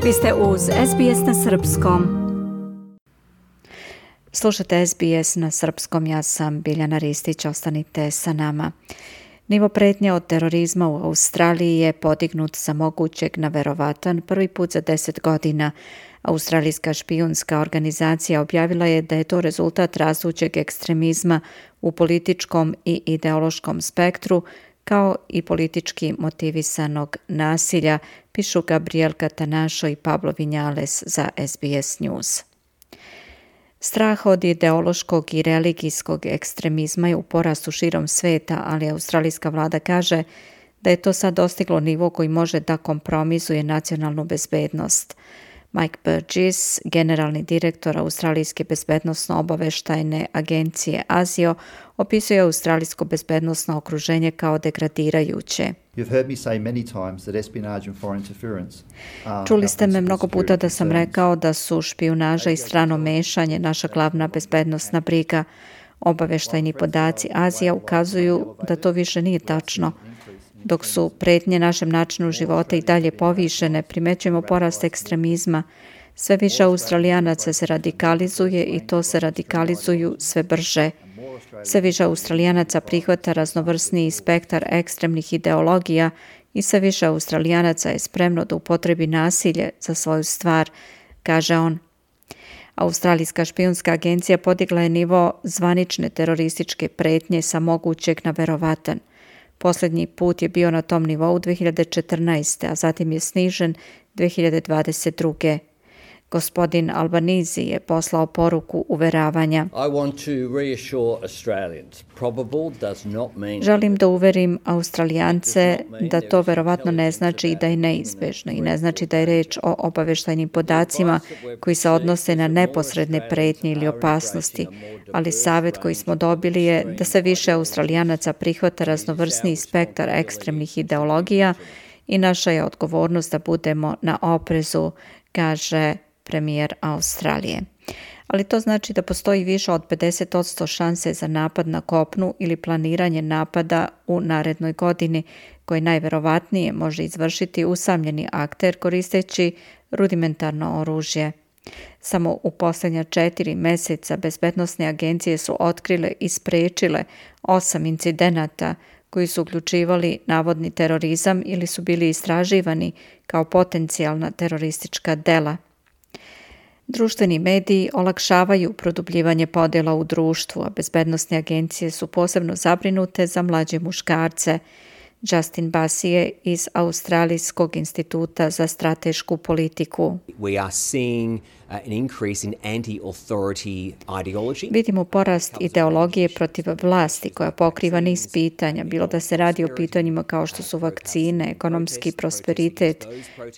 Vi ste uz SBS na srpskom. Slušate SBS na srpskom, ja sam Biljana Ristić, ostanite sa nama. Nivo pretnje od terorizma u Australiji je podignut sa mogućeg na verovatan prvi put za 10 godina. Australijska špijunska organizacija objavila je da je to rezultat rastućeg ekstremizma u političkom i ideološkom spektru, kao i politički motivisanog nasilja, pišu Gabriel Catanacho i Pablo Vinales za SBS News. Strah od ideološkog i religijskog ekstremizma je u porastu širom sveta, ali australijska vlada kaže da je to sad dostiglo nivo koji može da kompromizuje nacionalnu bezbednost. Mike Burgess, generalni direktor Australijske bezbednosno-obaveštajne agencije ASIO, opisuje australijsko bezbednosno okruženje kao degradirajuće. Čuli ste me mnogo puta da sam rekao da su špijunaža i strano mešanje naša glavna bezbednosna briga. Obaveštajni podaci Azija ukazuju da to više nije tačno. Dok su pretnje našem načinu života i dalje povišene, primećujemo porast ekstremizma. Sve više Australijanaca se radikalizuje i to se radikalizuju sve brže. Sve više Australijanaca prihvata raznovrsniji spektar ekstremnih ideologija i sve više Australijanaca je spremno da upotrebi nasilje za svoju stvar, kaže on. Australijska špijunska agencija podigla je nivo zvanične terorističke pretnje sa mogućeg na verovatan. Posljednji put je bio na tom nivou 2014. a zatim je snižen 2022. Gospodin Albanese je poslao poruku uveravanja. Želim da uverim Australijance da to verovatno ne znači da je neizbežno i ne znači da je reč o obaveštajnim podacima koji se odnose na neposredne pretnje ili opasnosti, ali savjet koji smo dobili je da se više Australijanaca prihvata raznovrsni spektar ekstremnih ideologija i naša je odgovornost da budemo na oprezu, kaže premijer Australije. Ali to znači da postoji više od 50% šanse za napad na kopnu ili planiranje napada u narednoj godini, koji najverovatnije može izvršiti usamljeni akter koristeći rudimentarno oružje. Samo u posljednja 4 mjeseca bezbednosne agencije su otkrile i sprečile 8 incidenata koji su uključivali navodni terorizam ili su bili istraživani kao potencijalna teroristička dela. Društveni mediji olakšavaju produbljivanje podjela u društvu, a bezbednosne agencije su posebno zabrinute za mlađe muškarce. Justin Basije iz Australijskog instituta za stratešku politiku. Vidimo porast ideologije protiv vlasti koja pokriva niz pitanja, bilo da se radi o pitanjima kao što su vakcine, ekonomski prosperitet,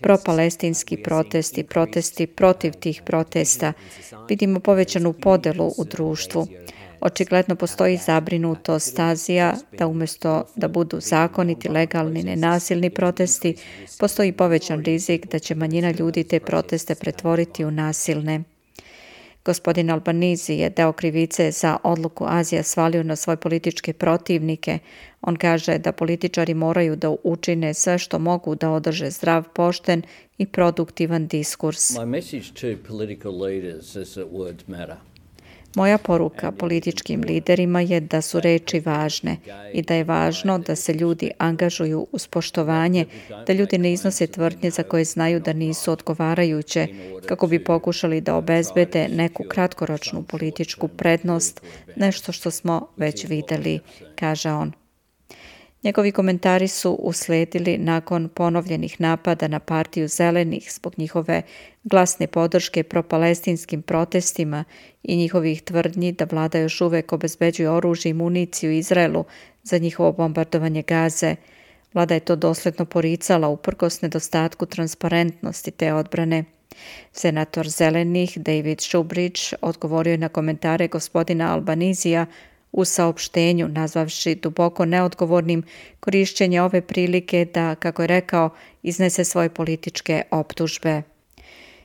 propalestinski protesti, protesti protiv tih protesta. Vidimo povećanu podelu u društvu. Očigledno postoji zabrinutost Azija da umjesto da budu zakoniti, legalni, nenasilni protesti, postoji povećan rizik da će manjina ljudi te proteste pretvoriti u nasilne. Gospodin Albanese je deo krivice za odluku Azija svalio na svoje političke protivnike. On kaže da političari moraju da učine sve što mogu da održe zdrav, pošten i produktivan diskurs. Moja poruka političkim liderima je da su reči važne i da je važno da se ljudi angažuju uz poštovanje, da ljudi ne iznose tvrdnje za koje znaju da nisu odgovarajuće, kako bi pokušali da obezbede neku kratkoročnu političku prednost, nešto što smo već videli, kaže on. Njegovi komentari su usledili nakon ponovljenih napada na partiju zelenih zbog njihove glasne podrške propalestinskim protestima i njihovih tvrdnji da vlada još uvek obezbeđuje oružje i municiju Izraelu za njihovo bombardovanje Gaze. Vlada je to dosledno poricala uprkos nedostatku transparentnosti te odbrane. Senator zelenih David Shoebridge odgovorio je na komentare gospodina Albanesija u saopštenju, nazvavši duboko neodgovornim korišćenje ove prilike da, kako je rekao, iznese svoje političke optužbe.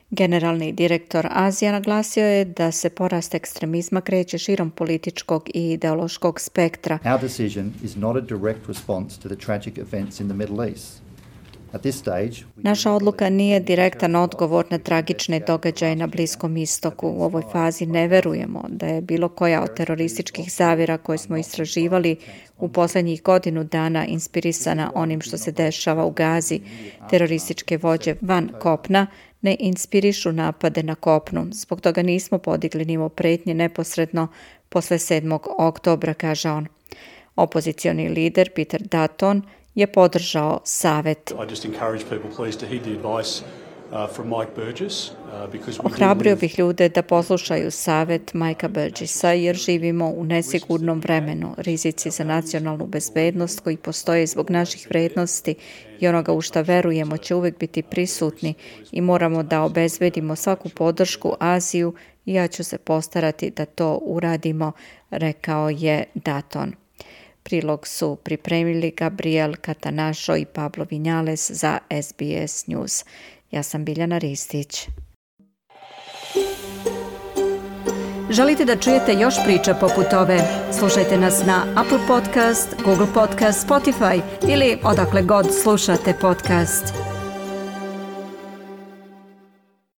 Generalni direktor Azija naglasio je da se porast ekstremizma kreće širom političkog i ideološkog spektra. Our decision is not a direct response to the tragic events in the Middle East. Naša odluka nije direktan odgovor na tragične događaje na Bliskom istoku. U ovoj fazi ne verujemo da je bilo koja od terorističkih zavjera koje smo istraživali u posljednjih godinu dana inspirisana onim što se dešava u Gazi. Terorističke vođe van kopna ne inspirišu napade na kopnu. Zbog toga nismo podigli nivo pretnje neposredno posle 7. oktobra, kaže on. Opozicioni lider Peter Dutton je podržao savet. Ohrabrio bih ljude da poslušaju savet Mikea Burgessa jer živimo u nesigurnom vremenu. Rizici za nacionalnu bezbednost koji postoje zbog naših vrednosti i onoga u šta verujemo će uvijek biti prisutni i moramo da obezbedimo svaku podršku Aziju i ja ću se postarati da to uradimo, rekao je Dutton. Prilog su pripremili Gabriel Catanašo i Pablo Vinjales za SBS News. Ja sam Biljana Ristić. Želite da čujete još priča poput ove? Slušajte nas na Apple Podcast, Google Podcast, Spotify ili odakle god slušate podcast.